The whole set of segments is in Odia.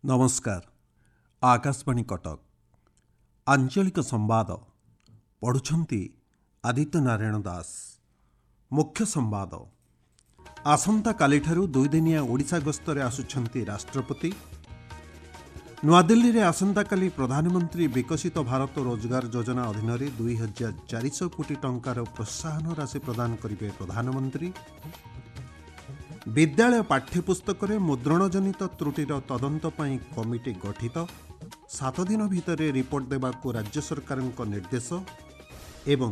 ନମସ୍କାର, ଆକାଶବାଣୀ କଟକ। ଆଞ୍ଚଳିକ ସମ୍ବାଦ ପଢ଼ୁଛନ୍ତି ଆଦିତ୍ୟ ନାରାୟଣ ଦାସ। ମୁଖ୍ୟ ସମ୍ବାଦ। ଆସନ୍ତାକାଲିଠାରୁ ଦୁଇଦିନିଆ ଓଡ଼ିଶା ଗସ୍ତରେ ଆସୁଛନ୍ତି ରାଷ୍ଟ୍ରପତି। ନୂଆଦିଲ୍ଲୀରେ ଆସନ୍ତାକାଲି ପ୍ରଧାନମନ୍ତ୍ରୀ ବିକଶିତ ଭାରତ ରୋଜଗାର ଯୋଜନା ଅଧୀନରେ 2400 କୋଟି ଟଙ୍କାର ପ୍ରୋତ୍ସାହନ ରାଶି ପ୍ରଦାନ କରିବେ ପ୍ରଧାନମନ୍ତ୍ରୀ। ବିଦ୍ୟାଳୟ ପାଠ୍ୟପୁସ୍ତକରେ ମୁଦ୍ରଣଜନିତ ତ୍ରୁଟିର ତଦନ୍ତ ପାଇଁ କମିଟି ଗଠିତ, 7 ଦିନ ଭିତରେ ରିପୋର୍ଟ ଦେବାକୁ ରାଜ୍ୟ ସରକାରଙ୍କ ନିର୍ଦ୍ଦେଶ। ଏବଂ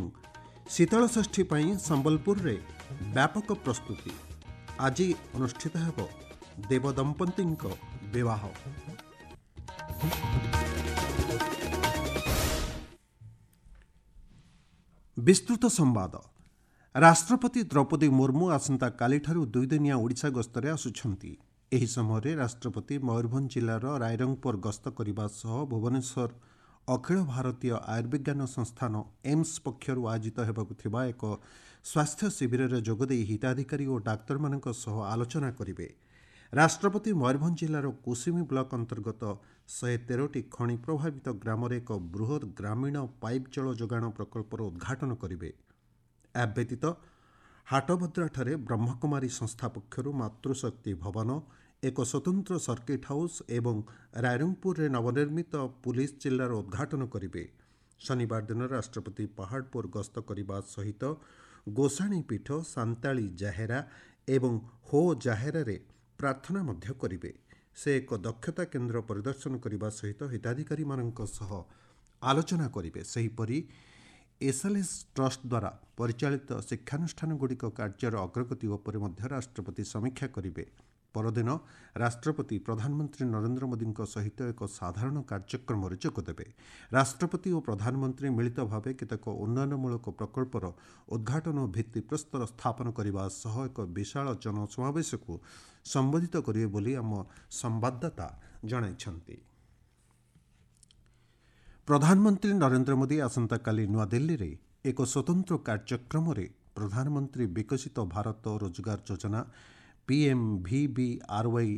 ଶୀତଳଷଷ୍ଠୀ ପାଇଁ ସମ୍ବଲପୁରରେ ବ୍ୟାପକ ପ୍ରସ୍ତୁତି। ଆଜି ଅନୁଷ୍ଠିତ ହେବ ଦେବଦମ୍ପତିଙ୍କ ବିବାହ। ବିସ୍ତୃତ ସମ୍ବାଦ। ରାଷ୍ଟ୍ରପତି ଦ୍ରୌପଦୀ ମୁର୍ମୁ ଆସନ୍ତାକାଲିଠାରୁ ଦୁଇଦିନିଆ ଓଡ଼ିଶା ଗସ୍ତରେ ଆସୁଛନ୍ତି। ଏହି ସମୟରେ ରାଷ୍ଟ୍ରପତି ମୟୂରଭଞ୍ଜ ଜିଲ୍ଲାର ରାଇରଙ୍ଗପୁର ଗସ୍ତ କରିବା ସହ ଭୁବନେଶ୍ୱର ଅଖିଳ ଭାରତୀୟ ଆୟୁର୍ବିଜ୍ଞାନ ସଂସ୍ଥାନ ଏମ୍ସ ପକ୍ଷରୁ ଆୟୋଜିତ ହେବାକୁ ଥିବା ଏକ ସ୍ୱାସ୍ଥ୍ୟ ଶିବିରରେ ଯୋଗଦେଇ ହିତାଧିକାରୀ ଓ ଡାକ୍ତରମାନଙ୍କ ସହ ଆଲୋଚନା କରିବେ। ରାଷ୍ଟ୍ରପତି ମୟୂରଭଞ୍ଜ ଜିଲ୍ଲାର କୁସୁମୀ ବ୍ଲକ ଅନ୍ତର୍ଗତ 113ଟି ଖଣି ପ୍ରଭାବିତ ଗ୍ରାମରେ ଏକ ବୃହତ୍ ଗ୍ରାମୀଣ ପାଇପ୍ ଜଳ ଯୋଗାଣ ପ୍ରକଳ୍ପର ଉଦ୍ଘାଟନ କରିବେ। ଏହା ବ୍ୟତୀତ ହାଟଭଦ୍ରାଠାରେ ବ୍ରହ୍ମକୁମାରୀ ସଂସ୍ଥା ପକ୍ଷରୁ ମାତୃଶକ୍ତି ଭବନ, ଏକ ସ୍ୱତନ୍ତ୍ର ସର୍କିଟ୍ ହାଉସ୍ ଏବଂ ରାଇରଙ୍ଗପୁରରେ ନବନିର୍ମିତ ପୁଲିସ ଜିଲ୍ଲାର ଉଦ୍ଘାଟନ କରିବେ। ଶନିବାର ଦିନ ରାଷ୍ଟ୍ରପତି ପାହାଡ଼ପୁର ଗସ୍ତ କରିବା ସହିତ ଗୋସାଣୀ ପୀଠ, ସାନ୍ତାଳୀ ଜାହେରା ଏବଂ ହୋ ଜାହେରାରେ ପ୍ରାର୍ଥନା ମଧ୍ୟ କରିବେ। ସେ ଏକ ଦକ୍ଷତା କେନ୍ଦ୍ର ପରିଦର୍ଶନ କରିବା ସହିତ ହିତାଧିକାରୀମାନଙ୍କ ସହ ଆଲୋଚନା କରିବେ। ସେହିପରି ଏସ୍ଏଲ୍ଏସ୍ ଟ୍ରଷ୍ଟ ଦ୍ୱାରା ପରିଚାଳିତ ଶିକ୍ଷାନୁଷ୍ଠାନଗୁଡ଼ିକ କାର୍ଯ୍ୟର ଅଗ୍ରଗତି ଉପରେ ମଧ୍ୟ ରାଷ୍ଟ୍ରପତି ସମୀକ୍ଷା କରିବେ। ପରଦିନ ରାଷ୍ଟ୍ରପତି ପ୍ରଧାନମନ୍ତ୍ରୀ ନରେନ୍ଦ୍ର ମୋଦିଙ୍କ ସହିତ ଏକ ସାଧାରଣ କାର୍ଯ୍ୟକ୍ରମରେ ଯୋଗଦେବେ। ରାଷ୍ଟ୍ରପତି ଓ ପ୍ରଧାନମନ୍ତ୍ରୀ ମିଳିତ ଭାବେ କେତେକ ଉନ୍ନୟନମୂଳକ ପ୍ରକଳ୍ପର ଉଦ୍ଘାଟନ ଓ ଭିତ୍ତିପ୍ରସ୍ତର ସ୍ଥାପନ କରିବା ସହ ଏକ ବିଶାଳ ଜନସମାବେଶକୁ ସମ୍ବୋଧିତ କରିବେ ବୋଲି ଆମ ସମ୍ବାଦଦାତା ଜଣାଇଛନ୍ତି। ପ୍ରଧାନମନ୍ତ୍ରୀ ନରେନ୍ଦ୍ର ମୋଦି ଆସନ୍ତାକାଲି ନୂଆଦିଲ୍ଲୀରେ ଏକ ସ୍ୱତନ୍ତ୍ର କାର୍ଯ୍ୟକ୍ରମରେ ପ୍ରଧାନମନ୍ତ୍ରୀ ବିକଶିତ ଭାରତ ରୋଜଗାର ଯୋଜନା ପିଏମ୍ଭିବିଆର୍ୱାଇ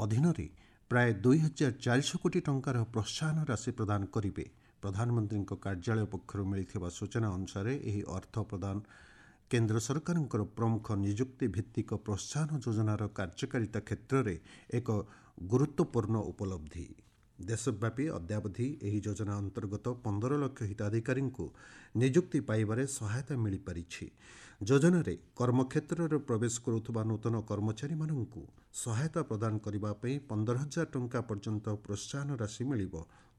ଅଧୀନରେ ପ୍ରାୟ 2400 କୋଟି ଟଙ୍କାର ପ୍ରୋତ୍ସାହନ ରାଶି ପ୍ରଦାନ କରିବେ। ପ୍ରଧାନମନ୍ତ୍ରୀଙ୍କ କାର୍ଯ୍ୟାଳୟ ପକ୍ଷରୁ ମିଳିଥିବା ସୂଚନା ଅନୁସାରେ ଏହି ଅର୍ଥ ପ୍ରଦାନ କେନ୍ଦ୍ର ସରକାରଙ୍କର ପ୍ରମୁଖ ନିଯୁକ୍ତି ଭିତ୍ତିକ ପ୍ରୋତ୍ସାହନ ଯୋଜନାର କାର୍ଯ୍ୟକାରିତା କ୍ଷେତ୍ରରେ ଏକ ଗୁରୁତ୍ୱପୂର୍ଣ୍ଣ ଉପଲବ୍ଧି। ଦେଶବ୍ୟାପୀ ଅଦ୍ୟାବଧି ଏହି ଯୋଜନା ଅନ୍ତର୍ଗତ 15 ଲକ୍ଷ ହିତାଧିକାରୀଙ୍କୁ ନିଯୁକ୍ତି ପାଇବାରେ ସହାୟତା ମିଳିପାରିଛି। ଯୋଜନାରେ କର୍ମକ୍ଷେତ୍ରରେ ପ୍ରବେଶ କରୁଥିବା ନୂତନ କର୍ମଚାରୀମାନଙ୍କୁ ସହାୟତା ପ୍ରଦାନ କରିବା ପାଇଁ 15,000 ଟଙ୍କା ପର୍ଯ୍ୟନ୍ତ ପ୍ରୋତ୍ସାହନ ରାଶି ମିଳିବ।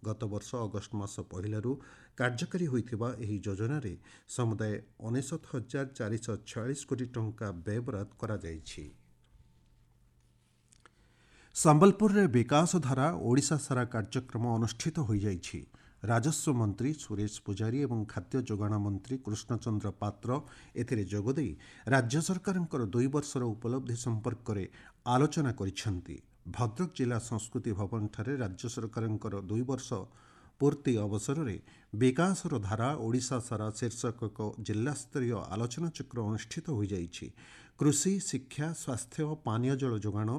ଗତବର୍ଷ ଅଗଷ୍ଟ ମାସ 1ରୁ କାର୍ଯ୍ୟକାରୀ ହୋଇଥିବା ଏହି ଯୋଜନାରେ ସମୁଦାୟ 59,446 କୋଟି ଟଙ୍କା ବ୍ୟୟବରାଦ କରାଯାଇଛି। ସମ୍ବଲପୁରରେ ବିକାଶଧାରା ଓଡ଼ିଶା ସାରା କାର୍ଯ୍ୟକ୍ରମ ଅନୁଷ୍ଠିତ ହୋଇଯାଇଛି। ରାଜସ୍ୱ ମନ୍ତ୍ରୀ ସୁରେଶ ପୂଜାରୀ ଏବଂ ଖାଦ୍ୟ ଯୋଗାଣ ମନ୍ତ୍ରୀ କୃଷ୍ଣଚନ୍ଦ୍ର ପାତ୍ର ଏଥିରେ ଯୋଗଦେଇ ରାଜ୍ୟ ସରକାରଙ୍କର 2 ବର୍ଷର ଉପଲବ୍ଧି ସମ୍ପର୍କରେ ଆଲୋଚନା କରିଛନ୍ତି। ଭଦ୍ରକ ଜିଲ୍ଲା ସଂସ୍କୃତି ଭବନଠାରେ ରାଜ୍ୟ ସରକାରଙ୍କର 2 ବର୍ଷ ପୂର୍ତ୍ତି ଅବସରରେ ବିକାଶର ଧାରା ଓଡ଼ିଶା ସାରା ଶୀର୍ଷକ ଏକ ଜିଲ୍ଲାସ୍ତରୀୟ ଆଲୋଚନାଚକ୍ର ଅନୁଷ୍ଠିତ ହୋଇଯାଇଛି। କୃଷି, ଶିକ୍ଷା, ସ୍ୱାସ୍ଥ୍ୟ, ପାନୀୟ ଜଳ ଯୋଗାଣ,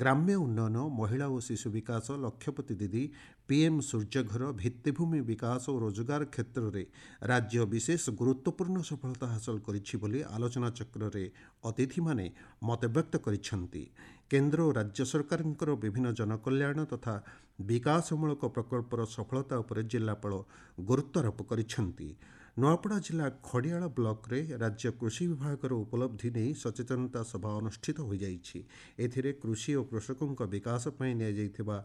ଗ୍ରାମ୍ୟ ଉନ୍ନୟନ, ମହିଳା ଓ ଶିଶୁ ବିକାଶ, ଲକ୍ଷପତି ଦିଦି, ପିଏମ୍ ସୂର୍ଯ୍ୟଘର, ଭିତ୍ତିଭୂମି ବିକାଶ ଓ ରୋଜଗାର କ୍ଷେତ୍ରରେ ରାଜ୍ୟ ବିଶେଷ ଗୁରୁତ୍ୱପୂର୍ଣ୍ଣ ସଫଳତା ହାସଲ କରିଛି ବୋଲି ଆଲୋଚନାଚକ୍ରରେ ଅତିଥିମାନେ ମତବ୍ୟକ୍ତ କରିଛନ୍ତି। କେନ୍ଦ୍ର ଓ ରାଜ୍ୟ ସରକାରଙ୍କର ବିଭିନ୍ନ ଜନକଲ୍ୟାଣ ତଥା ବିକାଶମୂଳକ ପ୍ରକଳ୍ପର ସଫଳତା ଉପରେ ଜିଲ୍ଲାପାଳ ଗୁରୁତ୍ୱାରୋପ କରିଛନ୍ତି। ନୂଆପଡ଼ା ଜିଲ୍ଲା ଖଡ଼ିଆଳ ବ୍ଲକରେ ରାଜ୍ୟ କୃଷି ବିଭାଗର ଉପଲବ୍ଧି ନେଇ ସଚେତନତା ସଭା ଅନୁଷ୍ଠିତ ହୋଇଯାଇଛି। ଏଥିରେ କୃଷି ଓ କୃଷକଙ୍କ ବିକାଶ ପାଇଁ ନିଆଯାଇଥିବା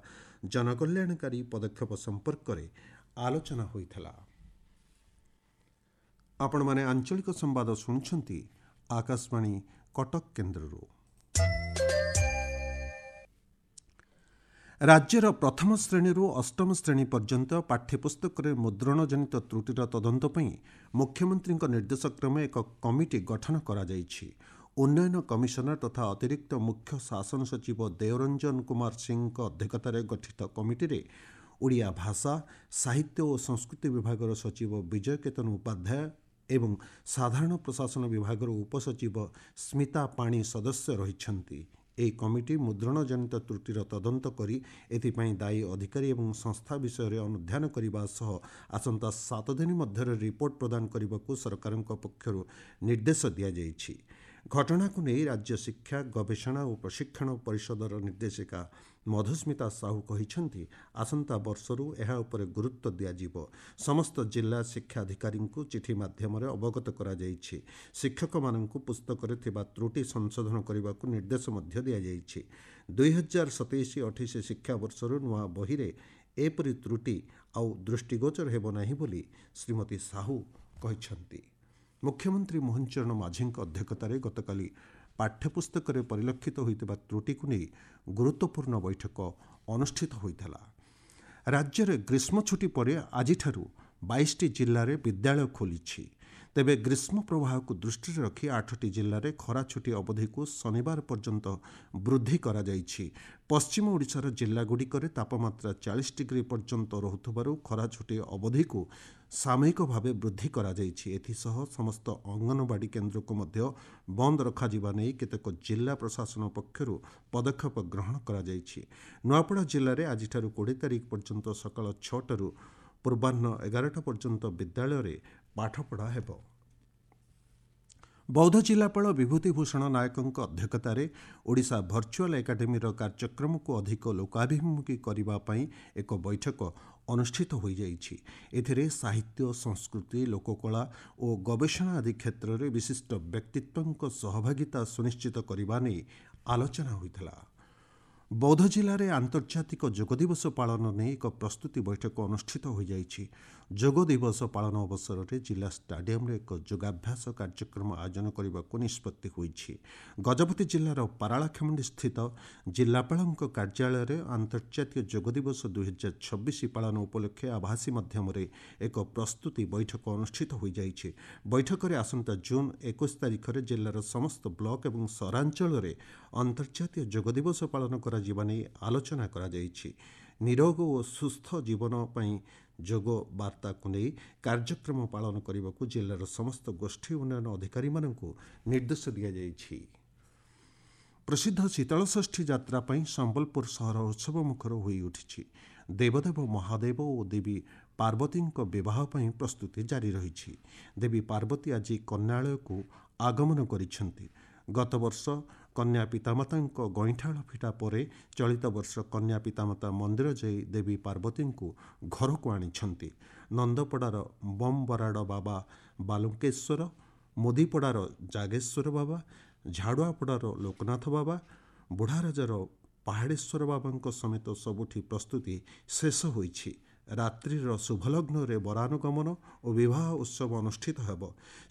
ଜନକଲ୍ୟାଣକାରୀ ପଦକ୍ଷେପ ସମ୍ପର୍କରେ ଆଲୋଚନା ହୋଇଥିଲା। ଆପଣମାନେ ଆଞ୍ଚଳିକ ସମ୍ବାଦ ଶୁଣୁଛନ୍ତି ଆକାଶବାଣୀ କଟକ କେନ୍ଦ୍ରରୁ। ରାଜ୍ୟର ପ୍ରଥମ ଶ୍ରେଣୀରୁ ଅଷ୍ଟମ ଶ୍ରେଣୀ ପର୍ଯ୍ୟନ୍ତ ପାଠ୍ୟପୁସ୍ତକରେ ମୁଦ୍ରଣଜନିତ ତ୍ରୁଟିର ତଦନ୍ତ ପାଇଁ ମୁଖ୍ୟମନ୍ତ୍ରୀଙ୍କ ନିର୍ଦ୍ଦେଶକ୍ରମେ ଏକ କମିଟି ଗଠନ କରାଯାଇଛି। ଉନ୍ନୟନ କମିଶନର ତଥା ଅତିରିକ୍ତ ମୁଖ୍ୟ ଶାସନ ସଚିବ ଦେଓରଞ୍ଜନ କୁମାର ସିଂଙ୍କ ଅଧ୍ୟକ୍ଷତାରେ ଗଠିତ କମିଟିରେ ଓଡ଼ିଆ ଭାଷା, ସାହିତ୍ୟ ଓ ସଂସ୍କୃତି ବିଭାଗର ସଚିବ ବିଜୟ କେତନ ଉପାଧ୍ୟାୟ ଏବଂ ସାଧାରଣ ପ୍ରଶାସନ ବିଭାଗର ଉପସଚିବ ସ୍ମିତା ପାଣି ସଦସ୍ୟ ରହିଛନ୍ତି। ଏହି କମିଟି ମୁଦ୍ରଣଜନିତ ତ୍ରୁଟିର ତଦନ୍ତ କରି ଏଥିପାଇଁ ଦାୟୀ ଅଧିକାରୀ ଏବଂ ସଂସ୍ଥା ବିଷୟରେ ଅନୁଧ୍ୟାନ କରିବା ସହ ଆସନ୍ତା 7 ଦିନ ମଧ୍ୟରେ ରିପୋର୍ଟ ପ୍ରଦାନ କରିବାକୁ ସରକାରଙ୍କ ପକ୍ଷରୁ ନିର୍ଦ୍ଦେଶ ଦିଆଯାଇଛି। ଘଟଣାକୁ ନେଇ ରାଜ୍ୟ ଶିକ୍ଷା ଗବେଷଣା ଓ ପ୍ରଶିକ୍ଷଣ ପରିଷଦର ନିର୍ଦ୍ଦେଶିକା ମଧୁସ୍ମିତା ସାହୁ କହିଛନ୍ତି, ଆସନ୍ତା ବର୍ଷରୁ ଏହା ଉପରେ ଗୁରୁତ୍ୱ ଦିଆଯିବ। ସମସ୍ତ ଜିଲ୍ଲା ଶିକ୍ଷାଧିକାରୀଙ୍କୁ ଚିଠି ମାଧ୍ୟମରେ ଅବଗତ କରାଯାଇଛି। ଶିକ୍ଷକମାନଙ୍କୁ ପୁସ୍ତକରେ ଥିବା ତ୍ରୁଟି ସଂଶୋଧନ କରିବାକୁ ନିର୍ଦ୍ଦେଶ ମଧ୍ୟ ଦିଆଯାଇଛି। 2027-28 ଶିକ୍ଷାବର୍ଷରୁ ନୂଆ ବହିରେ ଏପରି ତ୍ରୁଟି ଆଉ ଦୃଷ୍ଟିଗୋଚର ହେବ ନାହିଁ ବୋଲି ଶ୍ରୀମତୀ ସାହୁ କହିଛନ୍ତି। ମୁଖ୍ୟମନ୍ତ୍ରୀ ମୋହନ ଚରଣ ମାଝୀଙ୍କ ଅଧ୍ୟକ୍ଷତାରେ ଗତକାଲି ପାଠ୍ୟପୁସ୍ତକରେ ପରିଲକ୍ଷିତ ହୋଇଥିବା ତ୍ରୁଟିକୁ ନେଇ ଗୁରୁତ୍ୱପୂର୍ଣ୍ଣ ବୈଠକ ଅନୁଷ୍ଠିତ ହୋଇଥିଲା। ରାଜ୍ୟରେ ଗ୍ରୀଷ୍ମ ଛୁଟି ପରେ ଆଜିଠାରୁ 22ଟି ଜିଲ୍ଲାରେ ବିଦ୍ୟାଳୟ ଖୋଲିଛି। ତେବେ ଗ୍ରୀଷ୍ମ ପ୍ରବାହକୁ ଦୃଷ୍ଟିରେ ରଖି 8ଟି ଜିଲ୍ଲାରେ ଖରା ଛୁଟି ଅବଧିକୁ ଶନିବାର ପର୍ଯ୍ୟନ୍ତ ବୃଦ୍ଧି କରାଯାଇଛି। ପଶ୍ଚିମ ଓଡ଼ିଶାର ଜିଲ୍ଲାଗୁଡ଼ିକରେ ତାପମାତ୍ରା 40 ଡିଗ୍ରୀ ପର୍ଯ୍ୟନ୍ତ ରହୁଥିବାରୁ ଖରା ଛୁଟି ଅବଧିକୁ ସାମୟିକ ଭାବେ ବୃଦ୍ଧି କରାଯାଇଛି। ଏଥିସହ ସମସ୍ତ ଅଙ୍ଗନବାଡ଼ି କେନ୍ଦ୍ରକୁ ମଧ୍ୟ ବନ୍ଦ ରଖାଯିବା ନେଇ କେତେକ ଜିଲ୍ଲା ପ୍ରଶାସନ ପକ୍ଷରୁ ପଦକ୍ଷେପ ଗ୍ରହଣ କରାଯାଇଛି। ନୂଆପଡ଼ା ଜିଲ୍ଲାରେ ଆଜିଠାରୁ 20 ତାରିଖ ପର୍ଯ୍ୟନ୍ତ ସକାଳ 6ଟାରୁ ପୂର୍ବାହ୍ନ 11ଟା ପର୍ଯ୍ୟନ୍ତ ବିଦ୍ୟାଳୟରେ ପାଠପଢ଼ା ହେବ। ବୌଦ୍ଧ ଜିଲ୍ଲାପାଳ ବିଭୂତି ଭୂଷଣ ନାୟକଙ୍କ ଅଧ୍ୟକ୍ଷତାରେ ଓଡ଼ିଶା ଭର୍ଚୁଆଲ୍ ଏକାଡେମୀର କାର୍ଯ୍ୟକ୍ରମକୁ ଅଧିକ ଲୋକାଭିମୁଖୀ କରିବା ପାଇଁ ଏକ ବୈଠକ ଅନୁଷ୍ଠିତ ହୋଇଯାଇଛି। ଏଥିରେ ସାହିତ୍ୟ, ସଂସ୍କୃତି, ଲୋକକଳା ଓ ଗବେଷଣା ଆଦି କ୍ଷେତ୍ରରେ ବିଶିଷ୍ଟ ବ୍ୟକ୍ତିତ୍ୱଙ୍କ ସହଭାଗିତା ସୁନିଶ୍ଚିତ କରିବା ନେଇ ଆଲୋଚନା ହୋଇଥିଲା। ବୌଦ୍ଧ ଜିଲ୍ଲାରେ ଆନ୍ତର୍ଜାତିକ ଯୋଗ ଦିବସ ପାଳନ ନେଇ ଏକ ପ୍ରସ୍ତୁତି ବୈଠକ ଅନୁଷ୍ଠିତ ହୋଇଯାଇଛି। ଯୋଗ ଦିବସ ପାଳନ ଅବସରରେ ଜିଲ୍ଲା ଷ୍ଟାଡିୟମରେ ଏକ ଯୋଗାଭ୍ୟାସ କାର୍ଯ୍ୟକ୍ରମ ଆୟୋଜନ କରିବାକୁ ନିଷ୍ପତ୍ତି ହୋଇଛି। ଗଜପତି ଜିଲ୍ଲାର ପାରଳାଖେମୁଣ୍ଡି ସ୍ଥିତ ଜିଲ୍ଲାପାଳଙ୍କ କାର୍ଯ୍ୟାଳୟରେ ଆନ୍ତର୍ଜାତୀୟ ଯୋଗ ଦିବସ 2026 ପାଳନ ଉପଲକ୍ଷେ ଆଭାସୀ ମାଧ୍ୟମରେ ଏକ ପ୍ରସ୍ତୁତି ବୈଠକ ଅନୁଷ୍ଠିତ ହୋଇଯାଇଛି। ବୈଠକରେ ଆସନ୍ତା ଜୁନ୍ 21 ତାରିଖରେ ଜିଲ୍ଲାର ସମସ୍ତ ବ୍ଲକ ଏବଂ ସହରାଞ୍ଚଳରେ ଅନ୍ତର୍ଜାତୀୟ ଯୋଗ ଦିବସ ପାଳନ କରାଯିବା ନେଇ ଆଲୋଚନା କରାଯାଇଛି। ନିରୋଗ ଓ ସୁସ୍ଥ ଜୀବନ ପାଇଁ ଯୋଗ ବାର୍ତ୍ତାକୁ ନେଇ କାର୍ଯ୍ୟକ୍ରମ ପାଳନ କରିବାକୁ ଜିଲ୍ଲାର ସମସ୍ତ ଗୋଷ୍ଠୀ ଉନ୍ନୟନ ଅଧିକାରୀମାନଙ୍କୁ ନିର୍ଦ୍ଦେଶ ଦିଆଯାଇଛି। ପ୍ରସିଦ୍ଧ ଶୀତଳଷଷ୍ଠୀ ଯାତ୍ରା ପାଇଁ ସମ୍ବଲପୁର ସହର ଉତ୍ସବମୁଖର ହୋଇଉଠିଛି। ଦେବଦେବ ମହାଦେବ ଓ ଦେବୀ ପାର୍ବତୀଙ୍କ ବିବାହ ପାଇଁ ପ୍ରସ୍ତୁତି ଜାରି ରହିଛି। ଦେବୀ ପାର୍ବତୀ ଆଜି କନ୍ୟାଳୟକୁ ଆଗମନ କରିଛନ୍ତି। ଗତବର୍ଷ କନ୍ୟା ପିତାମାତାଙ୍କ ଗଇଁଠାଳ ଫିଟା ପରେ ଚଳିତ ବର୍ଷ କନ୍ୟା ପିତାମାତା ମନ୍ଦିର ଯାଇ ଦେବୀ ପାର୍ବତୀଙ୍କୁ ଘରକୁ ଆଣିଛନ୍ତି। ନନ୍ଦପଡ଼ାର ବମ୍ବରାଡ଼ ବାବା ବାଲୁଙ୍କେଶ୍ୱର, ମୋଦିପଡ଼ାର ଜାଗେଶ୍ୱର ବାବା, ଝାଡ଼ୁଆପଡ଼ାର ଲୋକନାଥ ବାବା, ବୁଢ଼ାରାଜାର ପାହାଡ଼େଶ୍ୱର ବାବାଙ୍କ ସମେତ ସବୁଠି ପ୍ରସ୍ତୁତି ଶେଷ ହୋଇଛି। ରାତ୍ରିର ଶୁଭଲଗ୍ନରେ ବରାନୁଗମନ ଓ ବିବାହ ଉତ୍ସବ ଅନୁଷ୍ଠିତ ହେବ।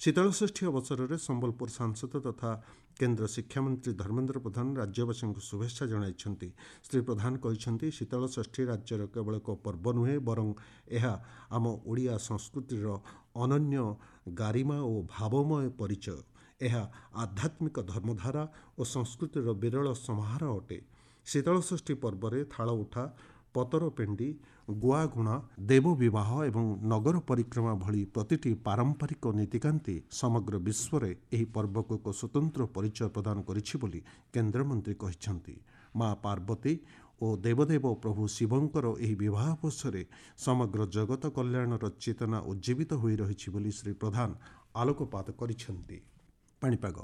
ଶୀତଳଷଷ୍ଠୀ ଅବସରରେ ସମ୍ବଲପୁର ସାଂସଦ ତଥା କେନ୍ଦ୍ର ଶିକ୍ଷାମନ୍ତ୍ରୀ ଧର୍ମେନ୍ଦ୍ର ପ୍ରଧାନ ରାଜ୍ୟବାସୀଙ୍କୁ ଶୁଭେଚ୍ଛା ଜଣାଇଛନ୍ତି। ଶ୍ରୀ ପ୍ରଧାନ କହିଛନ୍ତି, ଶୀତଳଷଷ୍ଠୀ ରାଜ୍ୟର କେବଳ ଏକ ପର୍ବ ନୁହେଁ, ବରଂ ଏହା ଆମ ଓଡ଼ିଆ ସଂସ୍କୃତିର ଅନନ୍ୟ ଗାରିମା ଓ ଭାବମୟ ପରିଚୟ। ଏହା ଆଧ୍ୟାତ୍ମିକ ଧର୍ମଧାରା ଓ ସଂସ୍କୃତିର ବିରଳ ସମାହାର ଅଟେ। ଶୀତଳଷଷ୍ଠୀ ପର୍ବରେ ଥାଳ ଉଠା, ପତର ପେଣ୍ଡି, ଗୁଆଗୁଣା, ଦେବ ବିବାହ ଏବଂ ନଗର ପରିକ୍ରମା ଭଳି ପ୍ରତିଟି ପାରମ୍ପରିକ ନୀତିକାନ୍ତି ସମଗ୍ର ବିଶ୍ୱରେ ଏହି ପର୍ବକୁ ଏକ ସ୍ୱତନ୍ତ୍ର ପରିଚୟ ପ୍ରଦାନ କରିଛି ବୋଲି କେନ୍ଦ୍ରମନ୍ତ୍ରୀ କହିଛନ୍ତି। ମା ପାର୍ବତୀ ଓ ଦେବଦେବ ପ୍ରଭୁ ଶିବଙ୍କର ଏହି ବିବାହ ଅବସରରେ ସମଗ୍ର ଜଗତ କଲ୍ୟାଣର ଚେତନା ଉଜ୍ଜୀବିତ ହୋଇ ରହିଛି ବୋଲି ଶ୍ରୀ ପ୍ରଧାନ ଆଲୋକପାତ କରିଛନ୍ତି। ପାଣିପାଗ।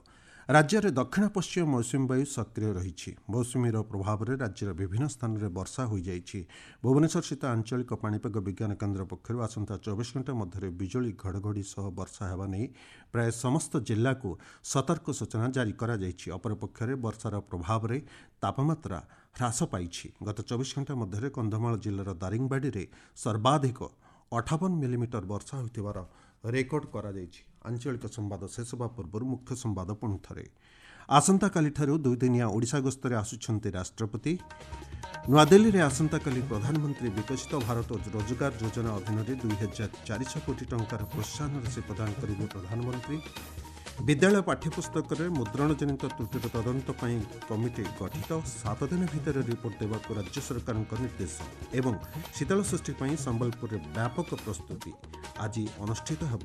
ରାଜ୍ୟରେ ଦକ୍ଷିଣ ପଶ୍ଚିମ ମୌସୁମୀ ବାୟୁ ସକ୍ରିୟ ରହିଛି। ମୌସୁମୀର ପ୍ରଭାବରେ ରାଜ୍ୟର ବିଭିନ୍ନ ସ୍ଥାନରେ ବର୍ଷା ହୋଇଯାଇଛି। ଭୁବନେଶ୍ୱରସ୍ଥିତ ଆଞ୍ଚଳିକ ପାଣିପାଗ ବିଜ୍ଞାନ କେନ୍ଦ୍ର ପକ୍ଷରୁ ଆସନ୍ତା 24 ଘଣ୍ଟା ମଧ୍ୟରେ ବିଜୁଳି ଘଡ଼ଘଡ଼ି ସହ ବର୍ଷା ହେବା ନେଇ ପ୍ରାୟ ସମସ୍ତ ଜିଲ୍ଲାକୁ ସତର୍କ ସୂଚନା ଜାରି କରାଯାଇଛି। ଅପରପକ୍ଷରେ ବର୍ଷାର ପ୍ରଭାବରେ ତାପମାତ୍ରା ହ୍ରାସ ପାଇଛି। ଗତ 24 ଘଣ୍ଟା ମଧ୍ୟରେ କନ୍ଧମାଳ ଜିଲ୍ଲାର ଦାରିଙ୍ଗବାଡ଼ିରେ ସର୍ବାଧିକ 58 ମିଲିମିଟର ବର୍ଷା ହୋଇଥିବାର ରେକର୍ଡ କରାଯାଇଛି। ଆଞ୍ଚଳିକ ସମ୍ବାଦ ଶେଷ ହେବା ପୂର୍ବରୁ ମୁଖ୍ୟ ସମ୍ବାଦ ପୁଣି ଥରେ। ଆସନ୍ତାକାଲିଠାରୁ 2 ଦିନିଆ ଓଡ଼ିଶା ଗସ୍ତରେ ଆସୁଛନ୍ତି ରାଷ୍ଟ୍ରପତି। ନୂଆଦିଲ୍ଲୀରେ ଆସନ୍ତାକାଲି ପ୍ରଧାନମନ୍ତ୍ରୀ ବିକଶିତ ଭାରତ ରୋଜଗାର ଯୋଜନା ଅଧୀନରେ 2400 କୋଟି ଟଙ୍କାର ପ୍ରୋତ୍ସାହନ ରାଶି ପ୍ରଦାନ କରିବେ ପ୍ରଧାନମନ୍ତ୍ରୀ। ବିଦ୍ୟାଳୟ ପାଠ୍ୟପୁସ୍ତକରେ ମୁଦ୍ରଣଜନିତ ତ୍ରୁଟିର ତଦନ୍ତ ପାଇଁ କମିଟି ଗଠିତ, 7 ଦିନ ଭିତରେ ରିପୋର୍ଟ ଦେବାକୁ ରାଜ୍ୟ ସରକାରଙ୍କ ନିର୍ଦ୍ଦେଶ। ଏବଂ ଶୀତଳଷଷ୍ଠୀ ପାଇଁ ସମ୍ବଲପୁରରେ ବ୍ୟାପକ ପ୍ରସ୍ତୁତି। ଆଜି ଅନୁଷ୍ଠିତ ହେବ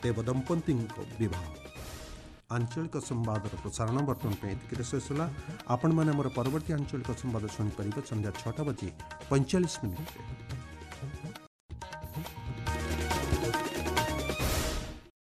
ଦେବଦମ୍ପତିଙ୍କ ବିବାହ। ଆଞ୍ଚଳିକ ସମ୍ବାଦର ପ୍ରସାରଣ ବର୍ତ୍ତମାନ ପାଇଁ ଏତିକିରେ ଶେଷ ହେଲା। ଆପଣମାନେ ଆମର ପରବର୍ତ୍ତୀ ଆଞ୍ଚଳିକ ସମ୍ବାଦ ଶୁଣିପାରିବେ ସନ୍ଧ୍ୟା 6ଟା ବାଜି 45 ମିନିଟ୍ରେ।